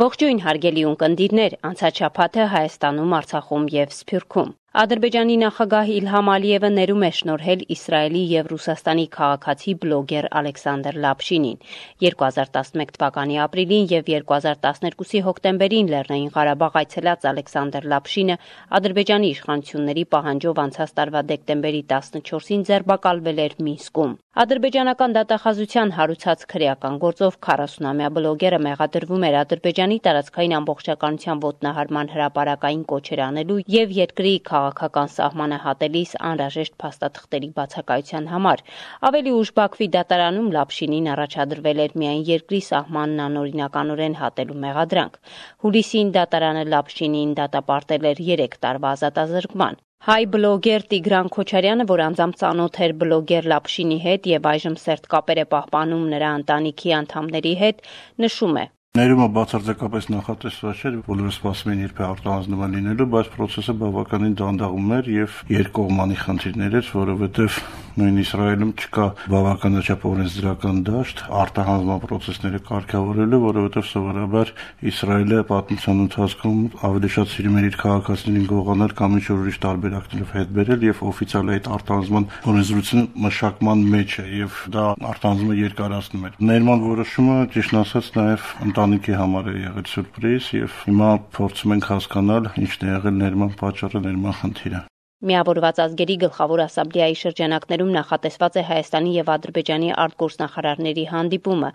Ողջույն հարգելի ունկնդիրներ, անցած շաբաթը Հայաստանում, Արցախում եւ Սփյուռքում։ Ադրբեջանի նախագահ Իլհամ Ալիևը ներում է շնորհել Իսրայելի եւ Ռուսաստանի քաղաքացի բլոգեր Ալեքսանդր Լապշինին։ 2011 թվականի ապրիլին եւ 2012-ի հոկտեմբերին Լեռնային Ղարաբաղ այցելած Ալեքսանդր Լապշինը Ադրբեջանի իշխանությունների պահանջով անցած տարվա դեկտեմբերի 14-ին ձերբակալվել էր Մինսկում։ Ադրբեջանական դատախազության հարուցած քրեական գործով 40-ամյա բլոգերը մեղադրվում էր Ադրբեջանի տարածքային ամբողջականության ոտնահարման հրապարակային կոչեր անելու եւ երկրի քաղաքական սահմանը հատելիս անհրաժեշտ փաստաթղթերի բացակայության համար։ Ավելի ուշ Բաքվի դատարանում Լապշինին առաջադրվել էր միայն երկրի սահմանն անօրինականորեն հատելու մեղադրանք։ Հուլիսին դատարանը Լապշինին դատապարտել էր 3 տարվա ազատազրկման։ Հայ բլոգեր Տիգրան Քոչարյանը, որ անձամբ ծանոթ էր բլոգեր Լապշինի հետ եւ այժմ սերտ կապեր է պահպանում նրա ընտանիքի անդամների հետ, նշում է. Ներումը բացարձակապես նախատեսված չէր, բոլորը սպասում էին երբ է արտահանձնման լինելու, բայց process-ը բավականին դանդաղում էր եւ երկկողմանի խնդիրներ էր, որովհետեւ նույն Իսրայելում չկա բավականաչափ օրենսդրական դաշտ արտահանձնման process-ները կարգավորելու, որովհետեւ սովորաբար Իսրայելը պատմության ընթացքում ավելի շատ սիրում էր իր քաղաքացիներին գողանալ կամ ինչ-որ ուրիշ տարբերակներով հետ բերել եւ օֆիցիալ այդ արտահանձնման օրենսդրությունը մշակման մեջ է եւ դա արտահանձնումը երկարացնում էր։ Ներման որոշումը ճիշտ ասած նաեւ ընտանիքի համար է եղել սուրպրիզ եւ հիմա փորձում ենք հասկանալ ինչն է եղել ներման պատճառը, ներման խնդիրը։ Միավորված ազգերի գլխավոր ասամբլեայի շրջանակներում նախատեսված է Հայաստանի եւ Ադրբեջանի արտգործնախարարների հանդիպումը։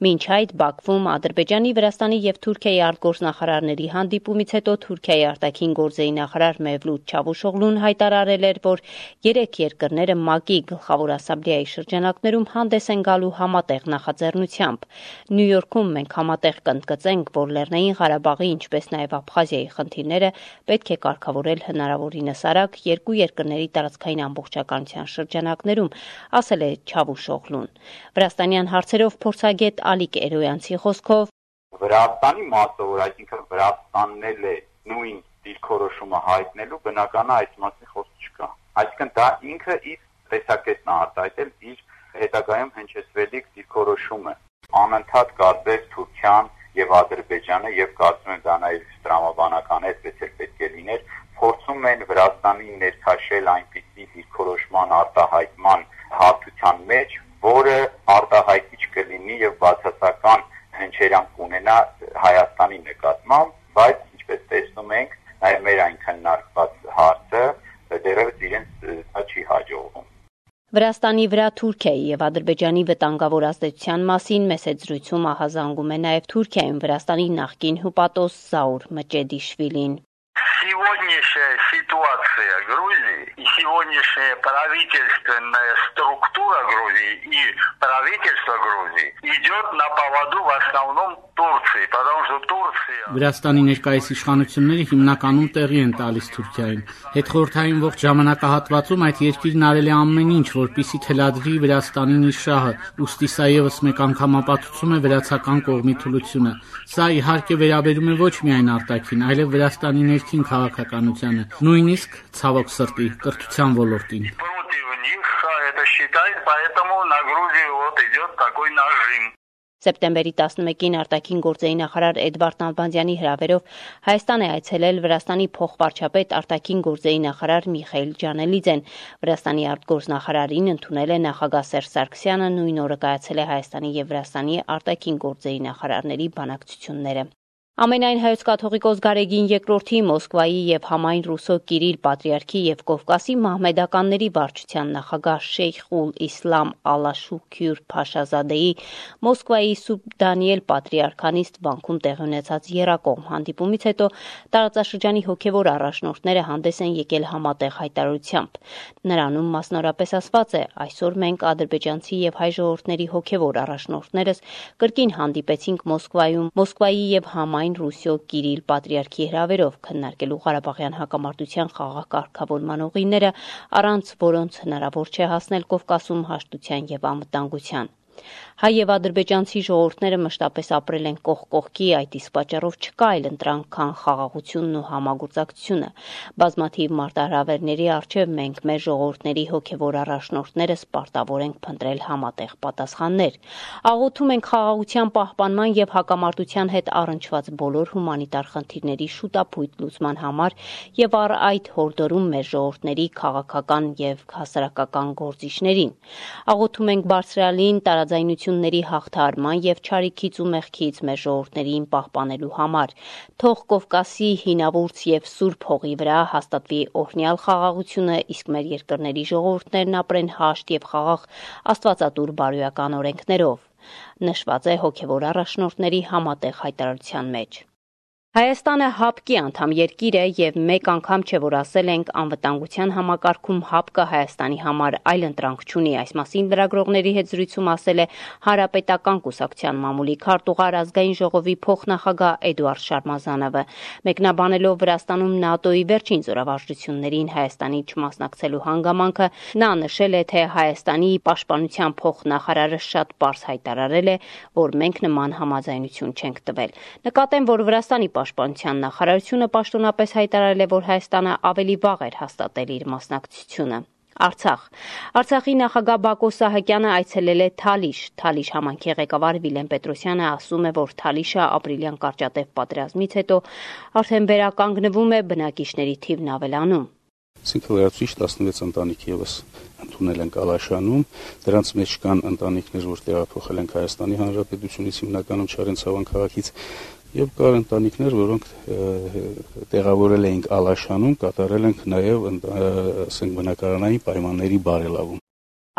Մինչ այդ Բաքվում Ադրբեջանի, Վրաստանի եւ Թուրքիայի արտգործնախարարների հանդիպումից հետո Թուրքիայի արտաքին գործերի նախարար Մևլութ Չավուշօղլուն հայտարարել էր, որ 3 երկրները ՄԱԿ-ի գլխավոր ասամբլեայի շրջանակներում հանդես են գալու համատեղ նախաձեռնությամբ։ Նյու Յորքում մենք համատեղ կընդգծենք, որ Լեռնային Ղարաբաղի, ինչպես նաեւ Աբխազիայի խնդիրները պետք է կարգավորել հնարավորինս արագ երկու երկրների տարածքային ամբողջականության շրջանակներում, ասել է Չավուշօղլուն։ Վրաստանյան հարցերով փորձագետ Ալիկ Էրոյանցի խոսքով Վրաստանի մասով, այսինքն Վրաստանն էլ է նույն դիրքորոշումը հայտնելու, բնական է այս մասին խոսք չկա։ Այսինքն դա ինքը իր տեսակետն է արտահայտել իր հետագայում հնչեցվելիք դիրքորոշումը։ Անընդհատ կարծես Թուրքիան եւ Ադրբեջանը եւ կարծում եմ դա նաեւ տրամաբանական այդպես էլ պետք է լիներ, փորձում են Վրաստանին ներքաշել այնպիսի դիրքորոշման արտահայտման հարթության մեջ, որը արտահայտիչ կլինի եւ բացասական հնչերանգ կունենա Հայաստանի նկատմամբ, բայց ինչպես տեսնում ենք, նաեւ մեր այն քննարկված հարցը դեռևս իրենց չի հաջողվում։ Վրաստանի վրա Թուրքիայի եւ Ադրբեջանի վտանգավոր ազդեցության մասին մեծ զրույցում ահազանգում է նաեւ Թուրքիայում Վրաստանի նախկին հյուպատոս Զաուր Մճեդիշվիլին։ Сегодняшняя ситуация Грузии и сегодняшняя правительственная структура Грузии и правительство Грузии идет на поводу в основном Турции, потому что Турция Վրաստանի ներկայիս իշխանությունները հիմնականում տեղի են տալիս Թուրքիային։ Հետխորհրդային ողջ ժամանակահատվածում այդ երկիրն արել է ամեն ինչ, որպեսզի թելադրի Վրաստանին իր շահը, ուստի սա եւս մեկ անգամ ապացուցում է վրացական կողմի թուլությունը։ Սա իհարկե վերաբերում է ոչ միայն արտաքին, այլև Վրաստանի ներքին քաղաքականությանը, նույնիսկ ցավոք սրտի կրթության ոլորտին։ Սեպտեմբերի 11-ին արտաքին գործերի նախարար Էդվարդ Նալբանդյանի հրավերով Հայաստան է այցելել Վրաստանի փոխվարչապետ արտաքին գործերի նախարար Միխայիլ Ջանելիձեն։ Վրաստանի արտգործնախարարին ընդունել է նախագահ Սերժ Սարգսյանը, նույն օրը կայացել է Հայաստանի եւ Վրաստանի արտաքին գործերի նախարարների բանակցությունները։ Ամենայն հայոց կաթողիկոս Գարեգին II-ի Մոսկվայի եւ համայն Ռուսո Կիրիլ Պատրիարքի եւ Կովկասի մահմեդականների վարչության նախագահ Շեյխ ուլ Իսլամ Ալաշուքյուր Փաշազադեի Մոսկվայի Սուրբ Դանիել Պատրիարքանիստ բանկում տեղի ունեցած եռակողմ հանդիպումից հետո տարածաշրջանի հոգեվոր առաջնորդները հանդես են եկել համատեղ հայտարարությամբ։ Նրանում մասնորապես ասված է. այսօր մենք ադրբեջանցի եւ հայ ժողովուրդների հոգեվոր առաջնորդներս կրկին հանդիպեցինք Մոսկվայում, Մոսկվայի եւ համայն Ռուսիո Կիրիլ Պատրիարքի հրավերով քննարկելու Ղարաբաղյան հակամարտության խաղաղ կարգավորման ուղիները, առանց որոնց հնարավոր չէ հասնել Կովկասում հաշտության եւ անվտանգության։ Հայ եւ ադրբեջանցի ժողովուրդները մշտապես ապրել են կողք կողքի, այդ իսկ պատճառով չկա այլ ընտրանք, քան խաղաղությունն ու համագործակցությունը։ Բազմաթիվ մարտահրավերների առջև մենք մեր ժողովուրդների հոգեվոր առաջնորդները սպարտավոր ենք փնտրել համատեղ պատասխաններ։ Աղոթում ենք խաղաղության պահպանման եւ հակամարտության հետ առնչված բոլոր հումանիտար խնդիրների շուտապույտ լուծման համար եւ առ այդ հորդորում մեր ժողովուրդների քաղաքական եւ հասարակական գործիչներին։ Աղոթում ենք բարձրալին տարաձայնությունների հաղթահարման եւ չարիքից ու մեղքից մեր ժողովուրդներին պահպանելու համար։ Թող Կովկասի հինավուրց եւ սուրբ հողի վրա հաստատվի օրհնյալ խաղաղությունը, իսկ մեր երկրների ժողովուրդներն ապրեն հաշտ եւ խաղաղ աստվածատուր բարոյական օրենքներով։ Նշված է հոգեվոր առաջնորդների համատեղ հայտարարության մեջ։ Հայաստանը ՀԱՊԿ-ի անդամ երկիր է եւ մեկ անգամ չէ, որ ասել ենք անվտանգության համակարգում ՀԱՊԿ-ը Հայաստանի համար այլ ընտրանք չունի։ Այս մասին լրագրողների հետ զրույցում ասել է Հանրապետական կուսակցության մամուլի քարտուղար ազգային ժողովի փոխնախագահ Էդուարդ Շարմազանովը։ Մեկնաբանելով Վրաստանում ՆԱՏՕ-ի վերջին զորավարժություններին Հայաստանի չմասնակցելու հանգամանքը, նա նշել է, թե Հայաստանի պաշտպանության փոխնախարարը շատ պարզ հայտարարել է, որ մենք նման համաձայնություն չենք տվել։ Նկատեմ, որ Վրաստանի Պաշտպանության նախարարությունը պաշտոնապես հայտարարել է, որ Հայաստանը ավելի վաղ էր հաստատել իր մասնակցությունը։ Արցախի նախագահ Բակո Սահակյանը այցելել է Թալիշ։ Թալիշ համայնքի ղեկավար Վիլեն Պետրոսյանը ասում է, որ Թալիշը ապրիլյան կարճատև պատերազմից հետո արդեն վերականգնվում է, բնակիչների թիվն ավելանում։ Լրացուցիչ 16 ընտանիք եւս ընդունել են Ալաշանում, դրանց մեջ կան ընտանիքներ, որ տեղափոխել են Հայաստանի Հանրապետությունից, հիմնականում Չարենցավան քաղաքից, եւ կար ընտանիքներ, որոնք տեղավորել էինք Ալաշանում, կատարել ենք նաեւ բնակարանային պայմանների բարելավում։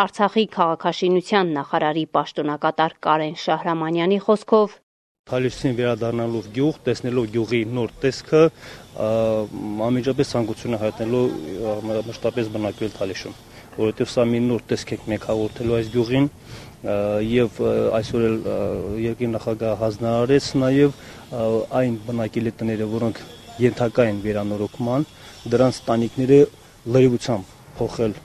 Արցախի քաղաքաշինության նախարարի պաշտոնակատար Կարեն Շահրամանյանի խոսքով Թալիշին վերադառնալով գյուղ, տեսնելով գյուղի նոր տեսքը, անմիջապես ցանկություն է հայտնելու մշտապես բնակվել Թալիշում, որովհետև սա մի նոր տեսք է մենք հաղորդելու այս գյուղին եւ այսօր էլ երկրի նախագահը հանձնարարեց նաեւ այն բնակելի տները, որոնք ենթակա են վերանորոգման, դրանց տանիքները լրիվությամբ փոխել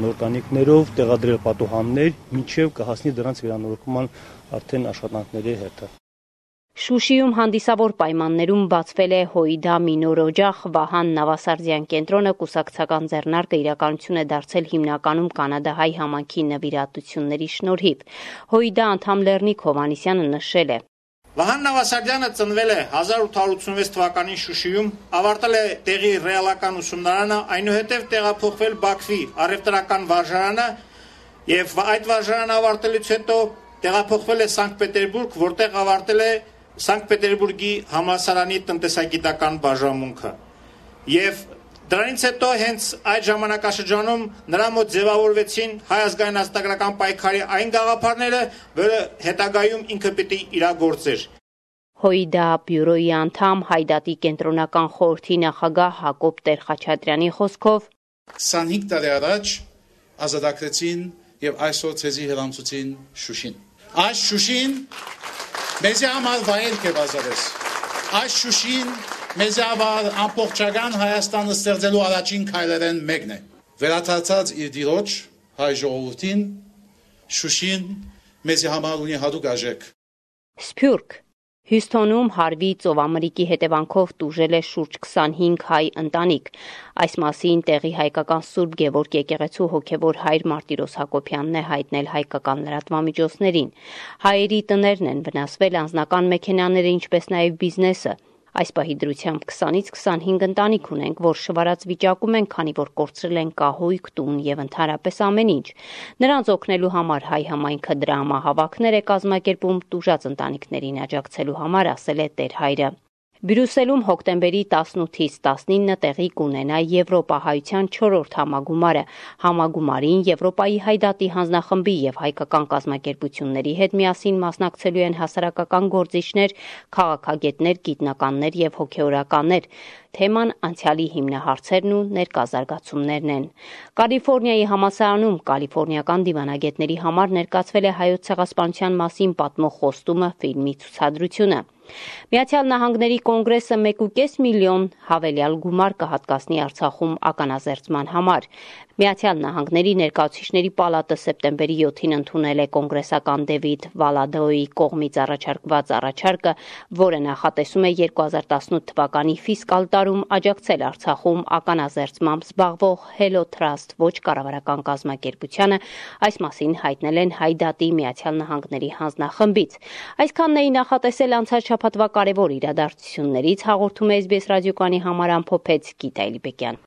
նոր տանիքներով, տեղադրել պատուհաններ, մինչև կհասնի դրանց վերանորոգման արդեն աշխատանքների հետը։ Շուշիում հանդիսավոր պայմաններում բացվել է Հոիդա Մինոր օջախ, Վահան Նավասարդյան կենտրոնը կուսակցական ձեռնարկը իրականություն է դարձել հիմնականում կանադահայ համայնքի նվիրատությունների շնորհիվ։ Հոիդա անդամ Լեռնիկ Հովհաննիսյանը նշել է. Վահան Նավասարդյանը ծնվել է 1886 թվականին Շուշիում, ավարտել է տեղի ռեալական ուսումնարանը, այնուհետև տեղափոխվել Բաքվի առևտրական վարժարանը եւ այդ վարժարանը ավարտելուց հետո տեղափոխվել է Սանկտ Պետերբուրգ, որտեղ ավարտել է Սանկտ Պետերբուրգի համալսարանի տնտեսագիտական բաժանմունքը։ Եվ դրանից հետո հենց այդ ժամանակաշրջանում նրա մոտ ձևավորվեցին Հայ ազգային ազատագրական պայքարի այն գաղափարները, որը հետագայում ինքը պիտի իրագործեր։ Հոիդա բյուրոյի անդամ Հայդատի կենտրոնական խորհրդի նախագահ Հակոբ Տեր-Խաչատրյանի խոսքով 25 տարի առաջ ազատագրեցին եւ այսօր ցեզի հրամցուցին Շուշին։ Այս Շուշին մեզ համար վայելք է բազարես։ Այս Շուշին մեզ համար ամբողջական Հայաստանը ստեղծելու առաջին քայլերեն մեկն է։ Վերադարձած իր դիրոջ հայ ժողովրդին Շուշին մեզ համար ունի հատուկ արժեք։ Սփյուռք Հյուստոնում հարվի ծովամրիկի հետևանքով տուժել է շուրջ 25 հայ ընտանիք։ Այս մասին տեղի հայկական Սուրբ Գևորգ եկեղեցու հոգևոր հայր Մարտիրոս Հակոբյանն է հայտնել հայկական լրատվամիջոցներին։ Հայերի տներն են վնասվել, անձնական մեքենաները, ինչպես նաև բիզնեսը։ Այս պահի դրությամբ 20-ից 25 ընտանիք ունենք, որ շվարած վիճակում են, քանի որ կորցրել են կահույք, տուն եւ ընդհանրապես ամեն ինչ։ Նրանց օգնելու համար հայ համայնքը դրամահավաքներ է կազմակերպում տուժած ընտանիքներին աջակցելու համար, ասել է Տեր հայրը։ Բրյուսելում հոկտեմբերի 18-ից 19 տեղի կունենա Եվրոպահայության 4-րդ համագումարը։ Համագումարին Եվրոպայի Հայդատի հանձնախմբի եւ հայկական կազմակերպությունների հետ միասին մասնակցելու են հասարակական գործիչներ, քաղաքագետներ, գիտնականներ եւ հոգեորականներ։ Թեման անցյալի հիմնահարցերն ու ներկա զարգացումներն են։ Կալիֆոռնիայի համալսարանում կալիֆոռնիական դիվանագետների համար ներկայացվել է հայոց ցեղասպանության մասին պատմող խոստումը ֆիլմի ցուցադրությունը։ Միացյալ Նահանգների կոնգրեսը 1.5 միլիոն հավելյալ գումար կհատկացնի Արցախում ականազերծման համար։ Միացյալ Նահանգների ներկայացուցիչների պալատը սեպտեմբերի 7-ին ընդունել է կոնգրեսական Դեվիդ Վալադոյի կողմից առաջարկված առաջարկը, որը նախատեսում է 2018 թվականի ֆիսկալ տարում աջակցել Արցախում ականազերծմամբ զբաղվող Hello Trust ոչ կառավարական կազմակերպությանը, այս մասին հայտնել են Հայ դատի Միացյալ Նահանգների հանձնախմբից։ Այսքանն էի նախատեսել անցած շաբաթվա կարևոր իրադարձություններից, հաղորդում է SBS ռադիոկայանի համար ամփոփեց Գիտա Էլիբեկյան։